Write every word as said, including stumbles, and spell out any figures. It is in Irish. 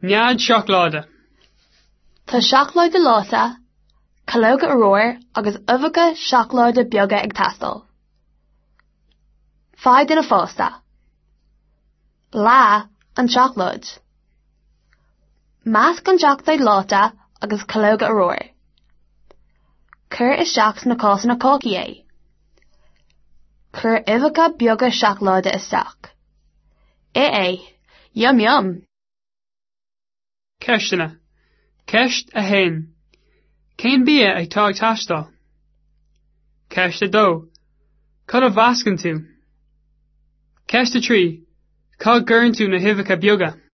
Nead seacláide. Tá seacláid leáite, calóga úr agus uibheacha seacláide beaga ag teastáil. Faigh duine fásta. Leá an tseacláid. Measc an tseacláid leáite agus calóga úr. Cuir isteach sna cásanna cácaí é. Cuir uibheacha beaga seacláide isteach. Ith é. Yum yum! Ceisteanna. Ceist a haon. Cén bia atá ag teastáil? Ceist a dó. Cad a mheascann tú? Ceist a trí. Cá gcuireann tú na huibheacha beaga?